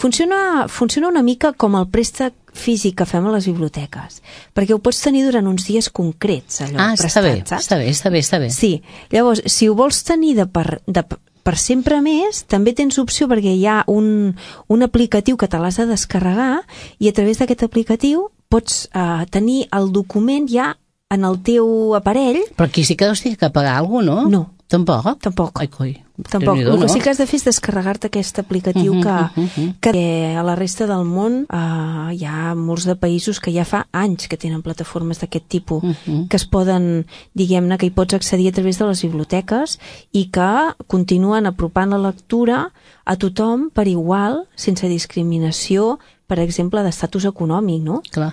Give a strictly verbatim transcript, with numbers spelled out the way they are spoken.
Funciona, funciona una mica com el préstec físic que fem a les biblioteques, perquè ho pots tenir durant uns dies concrets, allò, ah, prestat, bé, saps? està bé, està bé, està bé. Sí, llavors, si ho vols tenir de per, de, per sempre més, també tens opció perquè hi ha un, un aplicatiu que te l'has de descarregar i a través d'aquest aplicatiu pots eh, tenir el document ja en el teu aparell. Però aquí sí que deus tenir que pagar alguna cosa, no? No. Tampoc? Tampoc. Ai, coi. Tampoc. El No? que sí que has de fer és descarregar-te aquest aplicatiu Uh-huh, que, uh-huh. que a la resta del món eh, hi ha molts de països que ja fa anys que tenen plataformes d'aquest tipus, Uh-huh. que es poden, diguem-ne, que hi pots accedir a través de les biblioteques i que continuen apropant la lectura a tothom per igual, sense discriminació, per exemple, d'estatus econòmic, no? Clar.